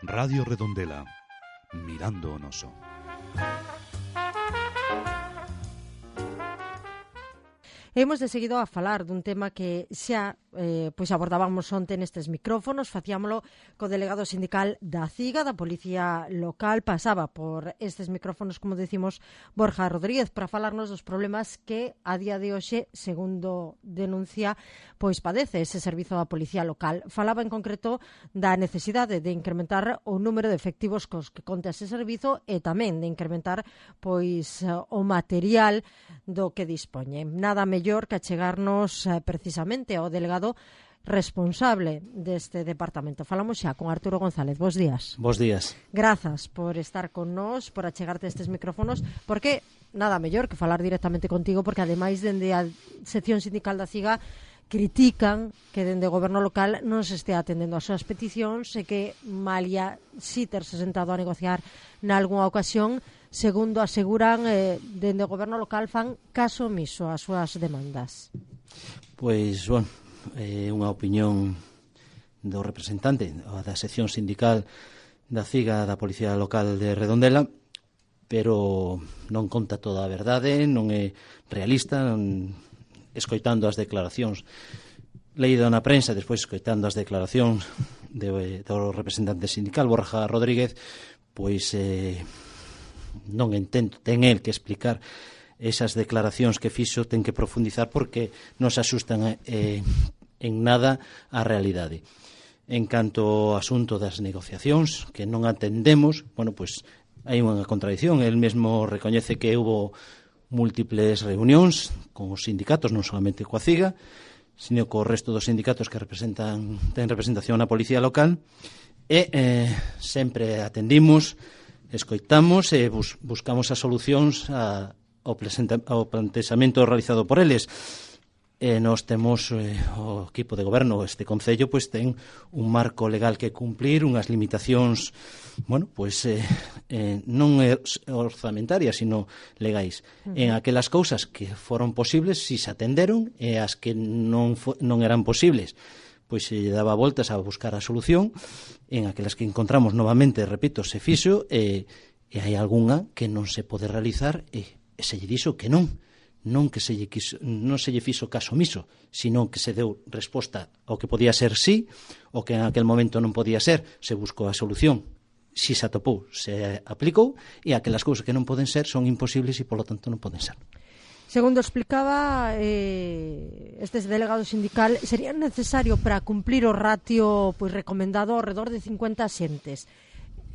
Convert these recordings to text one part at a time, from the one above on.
Radio Redondela, mirando o noso. Hemos de seguido a falar dun tema que xa abordábamos onte nestes micrófonos. Facíamolo co delegado sindical da CIGA, da Policía Local. Pasaba por estes micrófonos, como decimos, Borja Rodríguez, para falarnos dos problemas que a día de hoxe, segundo denuncia, pois padece ese servizo da Policía Local. Falaba en concreto da necesidade de incrementar o número de efectivos cos que conta ese servizo e tamén de incrementar pois o material do que dispoñe. Nada mellor que achegarnos precisamente ao delegado responsable deste departamento. Falamos xa con Arturo González. Bos días. Bos días. Grazas por estar con nós, por achegarte estes micrófonos, porque nada mellor que falar directamente contigo, porque ademais dende a sección sindical da CIGA critican que dende o goberno local non se estea atendendo as súas peticións e que malia si terse sentado a negociar nalgúna ocasión, segundo aseguran, dende o goberno local fan caso omiso ás súas demandas. Pois, bueno, unha opinión do representante da sección sindical da CIGA da Policía Local de Redondela, pero non conta toda a verdade, non é realista, escoitando as declaracións leído na prensa, despois escoitando as declaracións do representante sindical Borja Rodríguez, pois non entendo, ten el que explicar esas declaracións que fixo, ten que profundizar porque non se asustan en nada á realidade. En canto ao asunto das negociacións que non atendemos, bueno, pois hai unha contradición. El mesmo recoñece que hubo múltiples reunións con os sindicatos, non solamente coa CIGA, sino co resto dos sindicatos que ten representación na Policía Local, e sempre atendimos, escoitamos e buscamos as solucións ao plantexamento realizado por eles. Nós temos o equipo de goberno, este concello, pois ten un marco legal que cumplir, unhas limitacións, bueno, pois non orzamentarias, sino legais. En aquelas cousas que foron posibles, si se atenderon, e as que non eran posibles, pois se lle daba voltas a buscar a solución. En aquelas que encontramos novamente, repito, se fixo, e hai algunha que non se pode realizar, e se lle dixo que non que non se lle fixo caso omiso, sino que se deu resposta ao que podía ser sí, o que en aquel momento non podía ser, se buscou a solución, si se atopou, se aplicou, e aquelas cousas que non poden ser son imposibles e, polo tanto, non poden ser. Segundo explicaba este delegado sindical, sería necesario para cumplir o ratio pois recomendado ao redor de 50 axentes.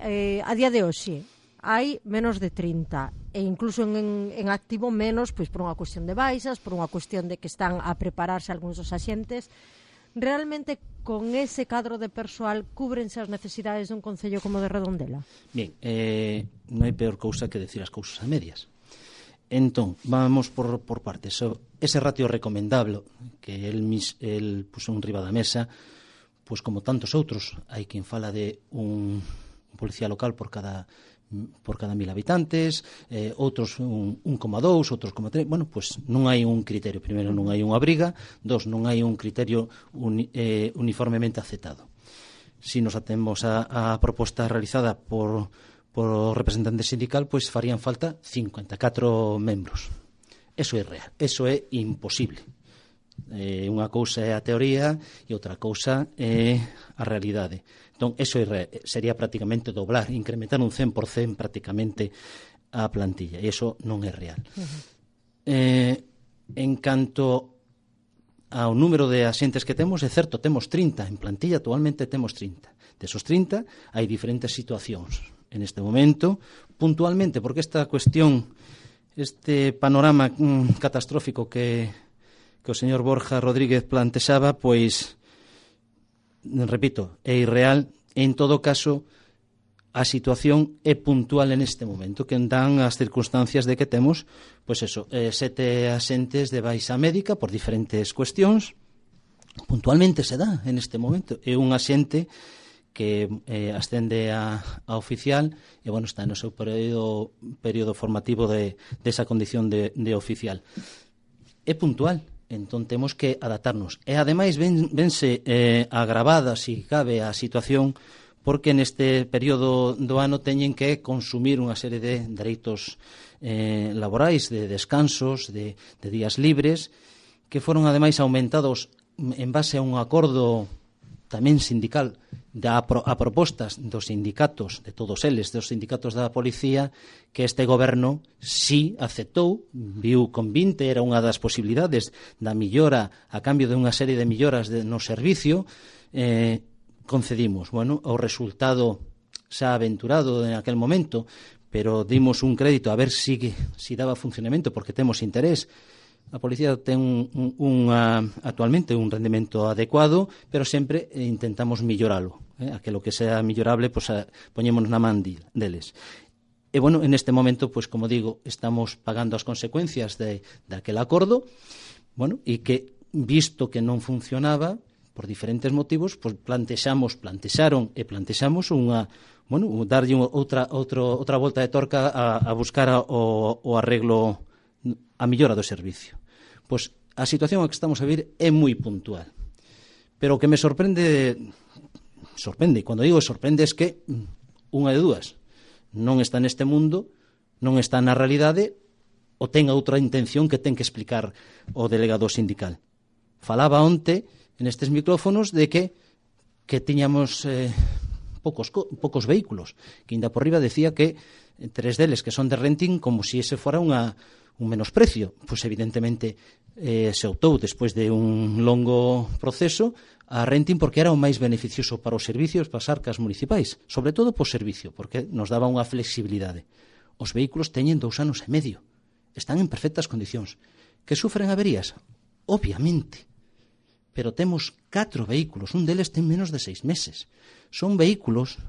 A día de hoxe hai menos de 30 e incluso en activo menos, pois por unha cuestión de baixas, por unha cuestión de que están a prepararse algúns dos axentes. Realmente con ese cadro de persoal cúbrense as necesidades dun concello como de Redondela? Bien, non hai peor cousa que decir as cousas a medias. Entón, vamos por partes. Ese ratio recomendable que el puso en riba da mesa, pois como tantos outros, hai quen fala de un policía local por cada 1.000 habitantes, outros 1,2, outros 1,3. Bueno, pois non hai un criterio. Primeiro, non hai unha obriga. Dos, non hai un criterio uniformemente aceptado. Si nos atemos a proposta realizada por o representante sindical, pois farían falta 54 membros. Eso é real, eso é imposible. Unha cousa é a teoría e outra cousa é a realidade. Entón, eso sería prácticamente doblar, incrementar un 100% prácticamente a plantilla, e iso non é real. En canto ao número de axentes que temos, é certo, temos 30, en plantilla actualmente temos 30. Desos 30 hai diferentes situacións en este momento, puntualmente, porque esta cuestión, este panorama catastrófico que o señor Borja Rodríguez plantexaba, pois, repito, é irreal. En todo caso, a situación é puntual en este momento, que dan as circunstancias de que temos, pois eso, 7 axentes de baixa médica por diferentes cuestións. Puntualmente se dá en este momento. É un axente que ascende a oficial e, bueno, está no seu período formativo de esa condición de oficial. É puntual. Entón temos que adaptarnos. E ademais vense agravada, se cabe, a situación porque neste período do ano teñen que consumir unha serie de dereitos laborais, de descansos, de días libres, que foron ademais aumentados en base a un acordo tamén sindical a propostas dos sindicatos, de todos eles, dos sindicatos da policía, que este goberno sí aceptou, viu con 20, era unha das posibilidades da millora, a cambio de unha serie de milloras no servicio, concedimos. Bueno, o resultado xa aventurado en aquel momento, pero dimos un crédito a ver si daba funcionamento, porque temos interés. A policía ten actualmente un rendemento adecuado, pero sempre intentamos milloralo. Aquilo que sea millorable, pues, poñémonos na man deles. E, bueno, en este momento, pues, como digo, estamos pagando as consecuencias de aquel acordo, bueno, e que, visto que non funcionaba, por diferentes motivos, pues plantexamos darlle outra volta de torca a buscar o arreglo, a millora do servicio. Pois a situación a que estamos a vivir é moi puntual. Pero o que me sorprende, cando digo sorprende, é que unha de dúas, non está neste mundo, non está na realidade, ou ten outra intención que ten que explicar o delegado sindical. Falaba onte nestes micrófonos de que tiñamos poucos vehículos, que ainda por riba decía que 3 deles que son de renting, como se ese fora un menosprecio. Pois evidentemente se optou despois de un longo proceso a renting porque era o máis beneficioso para os servicios, para as arcas municipais, sobre todo por servicio, porque nos daba unha flexibilidade. Os vehículos teñen 2 anos e medio, están en perfectas condicións. Que sufren averías? Obviamente. Pero temos 4 vehículos, un deles ten menos de 6 meses. Son vehículos,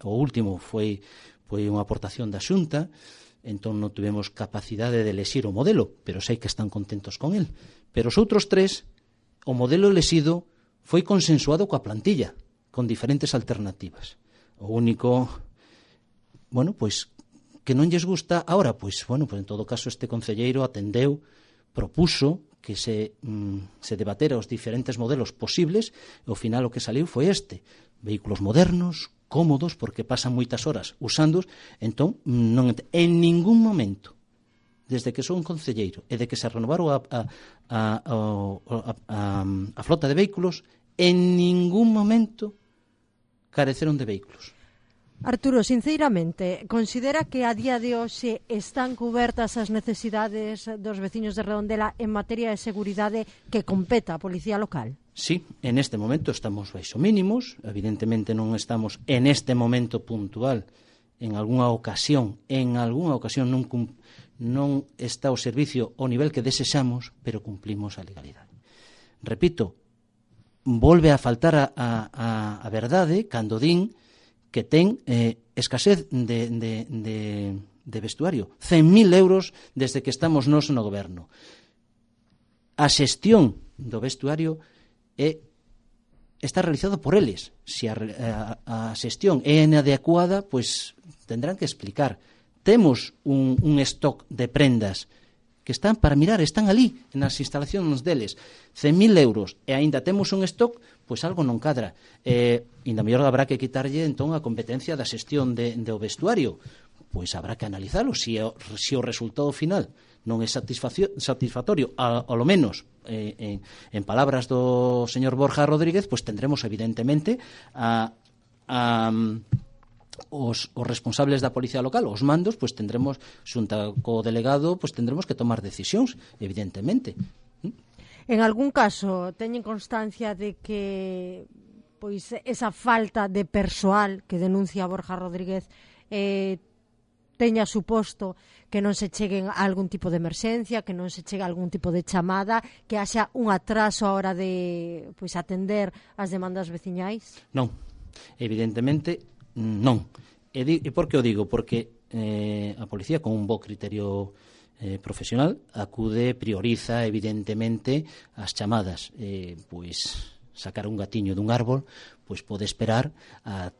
o último foi unha aportación da Xunta, entón non tuvemos capacidade de elexir o modelo, pero sei que están contentos con el. Pero os outros 3, o modelo elexido foi consensuado coa plantilla, con diferentes alternativas. O único, bueno, pois, que non lles gusta ahora, pois, bueno, pois en todo caso este concelleiro atendeu, propuso que se debatera os diferentes modelos posibles, e ao final o que saliu foi este. Vehículos modernos, cómodos, porque pasan moitas horas usándoos, entón, en ningún momento, desde que son concelleiro e de que se renovaron a flota de vehículos, en ningún momento careceron de vehículos. Arturo, sinceramente, considera que a día de hoxe están cubertas as necesidades dos veciños de Redondela en materia de seguridade que competa a Policía Local? Sí, en este momento estamos baixo mínimos, evidentemente non estamos en este momento puntual, en algunha ocasión non está o servicio ao nivel que desexamos, pero cumplimos a legalidade. Repito, volve a faltar a verdade cando din que ten escasez de vestuario. 100.000 euros desde que estamos nós no goberno. A xestión do vestuario está realizado por eles. Se a xestión é inadecuada, pois tendrán que explicar. Temos un stock de prendas que están para mirar, están ali nas instalacións deles, 100.000 euros, e aínda temos un stock, pois algo non cadra. Ainda mellor habrá que quitarlle entón a competencia da xestión do vestuario. Pois habrá que analizalo, se o resultado final non é satisfactorio, ao menos en palabras do señor Borja Rodríguez, pois tendremos evidentemente os responsables da Policía Local, os mandos, pois tendremos, xunta co delegado, pois tendremos que tomar decisións, evidentemente. En algún caso teñen constancia de que pois esa falta de persoal que denuncia Borja Rodríguez teña suposto que non se cheguen a algún tipo de emerxencia, que non se chegue a algún tipo de chamada, que haxa un atraso a hora de pois atender as demandas veciñais? Non, evidentemente non. E por que o digo? Porque a policía, con un bo criterio profesional, prioriza evidentemente as chamadas. Pois sacar un gatiño dun árbol, pois pode esperar a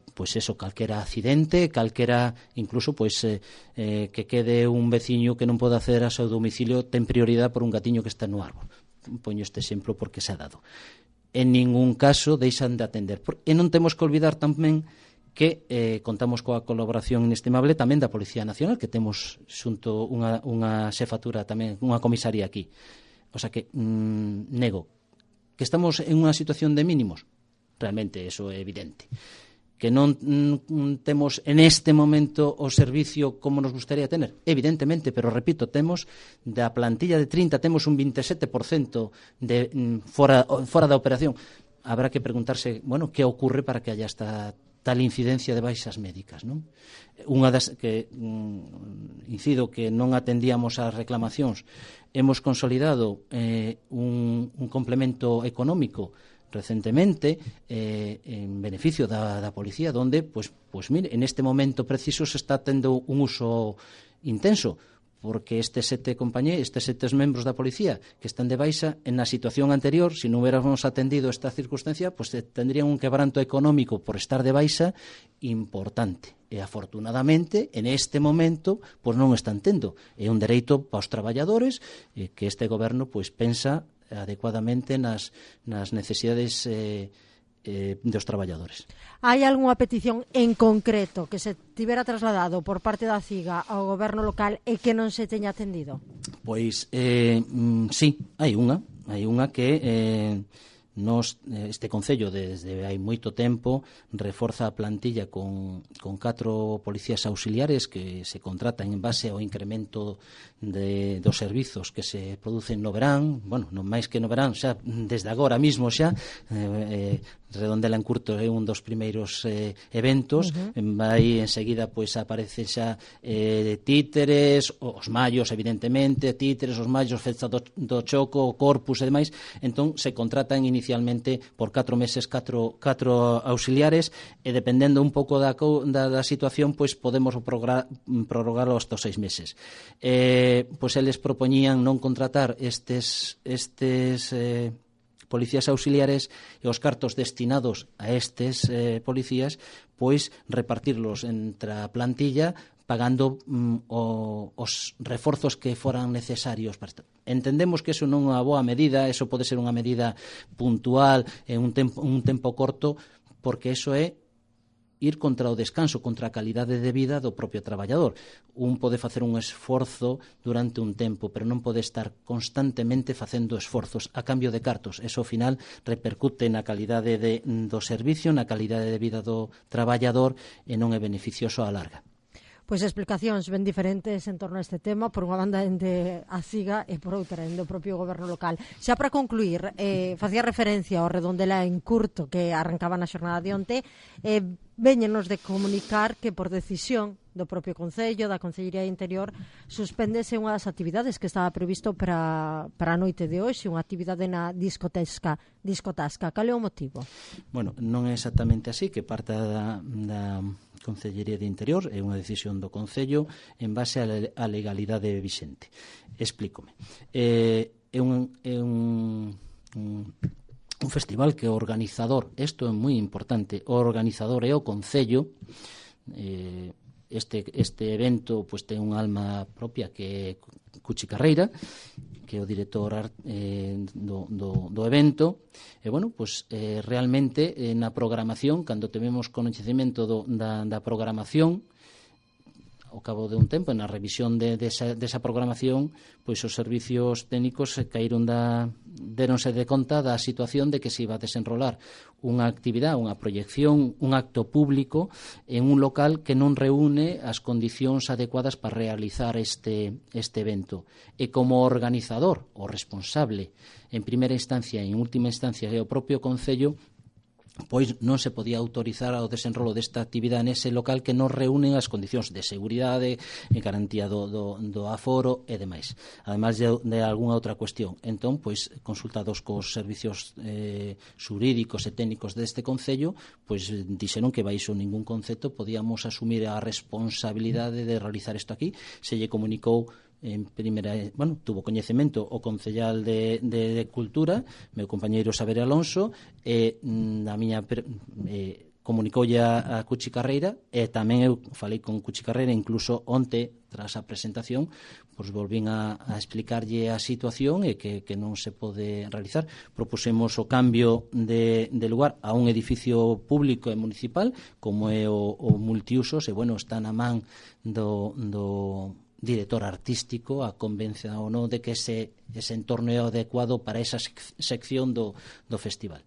calquera accidente, calquera, incluso que quede un veciño que non pode acceder ao seu domicilio, ten prioridade por un gatiño que está no árbol. Poño este exemplo porque se ha dado. En ningún caso deixan de atender. E non temos que olvidar tamén que contamos coa colaboración inestimable tamén da Policía Nacional, que temos xunto unha xefatura tamén, unha comisaría aquí. O sea que nego que estamos en unha situación de mínimos, realmente eso é evidente. Que non temos en este momento o servicio como nos gustaría tener, evidentemente, pero repito, temos da plantilla de 30, temos un 27% de fora da operación. Habrá que preguntarse, bueno, que ocorre para que haya esta tal incidencia de baixas médicas, non? Unha das que incido que non atendíamos ás reclamacións, hemos consolidado un complemento económico recentemente en beneficio da policía, donde, pues mire, en este momento preciso se está tendo un uso intenso, porque estes 7 membros da policía que están de baixa, en a situación anterior, se non hubiéramos atendido esta circunstancia, pues tendrían un quebranto económico por estar de baixa importante. E afortunadamente, en este momento, pues non están tendo. É un dereito para os traballadores que este goberno pues pensa adecuadamente nas necesidades dos traballadores. Hai algunha petición en concreto que se tivera trasladado por parte da CIGA ao goberno local e que non se teña atendido? Pois, sí, hai unha que este Concello desde hai moito tempo reforza a plantilla con 4 policías auxiliares que se contratan en base ao incremento dos servizos que se producen no verán, bueno, non máis que no verán, xa desde agora mismo xa Redondela en curto é un dos primeiros eventos, vai enseguida pois aparece xa títeres, os mallos evidentemente, títeres, os mallos, festa do choco, o corpus e demais. Entón se contratan inicialmente por 4 meses 4 auxiliares e dependendo un pouco da situación pois podemos prorrogarlo hasta 6 meses. Pois eles propoñían non contratar estes policías auxiliares e os cartos destinados a estes policías pois repartirlos entre a plantilla pagando os reforzos que foran necesarios. Entendemos que eso non é unha boa medida, eso pode ser unha medida puntual en un tempo corto, porque eso é ir contra o descanso, contra a calidade de vida do propio traballador. Un pode facer un esforzo durante un tempo, pero non pode estar constantemente facendo esforzos a cambio de cartos. Eso, ao final, repercute na calidade do servicio, na calidade de vida do traballador e non é beneficioso á larga. Pois explicacións ben diferentes en torno a este tema, por unha banda ende a CIGA e por outra ende o propio goberno local. Xa para concluir, facía referencia ao Redondela en curto que arrancaba na xornada de onte, véñenos de comunicar que por decisión do propio Concello, da Concellería de Interior, suspéndese unha das actividades que estaba previsto para a noite de hoxe, unha actividade na discotasca. Cal é o motivo? Bueno, non é exactamente así, que parta da Concellería de Interior, é unha decisión do Concello en base á legalidade vixente. Explícome. É un festival que o organizador, isto é moi importante, o organizador é o Concello. Este evento pues, ten unha alma propia que é Cuchi Carreira, que é o director do evento. E, bueno, pues, realmente na programación, cando tivemos conhecimento da programación, ao cabo de un tempo, na revisión desa programación, pois os servicios técnicos deronse de conta da situación de que se iba a desenrolar unha actividade, unha proyección, un acto público en un local que non reúne as condicións adecuadas para realizar este evento. E como organizador, o responsable, en primeira instancia e en última instancia é o propio Concello, pois non se podía autorizar ao desenrolo desta actividade nese local que non reúnen as condicións de seguridade e garantía do aforo e demais, ademais de algunha outra cuestión. Entón, pois, consultados cos servicios xurídicos e técnicos deste Concello, pois dixeron que baixo ningún concepto podíamos asumir a responsabilidade de realizar isto aquí. Se lle comunicou tuvo coñecemento o concellal de Cultura, meu compañeiro Saber Alonso, e comunicoulle a Cuchi Carreira, e tamén eu falei con Cuchi Carreira, incluso onte, tras a presentación, pois volvín a explicarlle a situación e que non se pode realizar. Propusemos o cambio de lugar a un edificio público e municipal, como é o multiusos, e, bueno, está na man do director artístico a convenza ou non de que ese entorno é adecuado para esa sección do festival.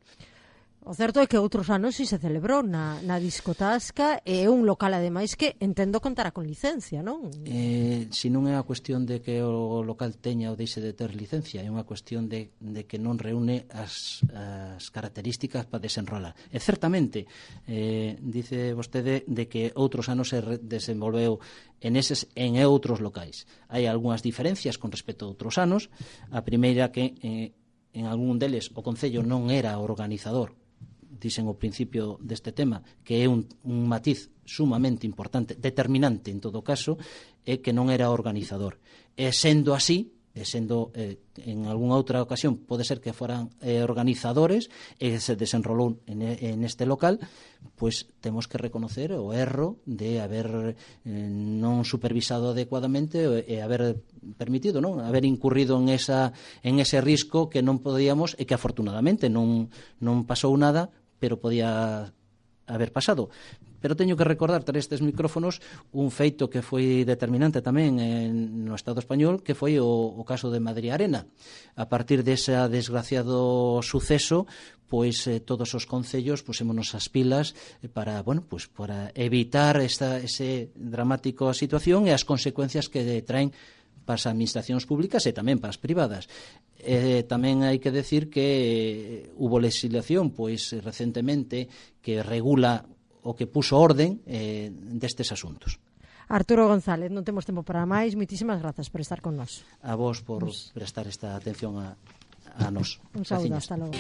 O certo é que outros anos si se celebrou na discotasca, e é un local ademais que entendo contará con licencia, non? Si non é a cuestión de que o local teña ou deixe de ter licencia, é unha cuestión de que non reúne as características para desenrolar. E certamente, dice vostede de que outros anos se desenvolveu en outros locais. Hai algunhas diferencias con respecto a outros anos. A primeira que en algún deles o Concello non era organizador, dixen ao principio deste tema, que é un matiz sumamente importante, determinante en todo caso, é que non era organizador. E sendo así, en algunha outra ocasión pode ser que foran organizadores e se desenrolou en este local, pois temos que reconocer o erro de haber non supervisado adecuadamente e haber permitido, non, haber incurrido en ese risco que non podíamos, e que afortunadamente non pasou nada, pero podía haber pasado. Pero teño que recordar, tras estes micrófonos, un feito que foi determinante tamén no Estado español, que foi o caso de Madrid Arena. A partir dese desgraciado suceso, pois todos os concellos pusémonos as pilas para evitar ese dramático situación e as consecuencias que traen para as administracións públicas e tamén para as privadas. Tamén hai que decir que hubo legislación pois recentemente que regula o que puso orden destes asuntos. Arturo González, non temos tempo para máis. Moitísimas grazas por estar con nós. A vos por prestar esta atención a nós. Un saúdo, hasta logo.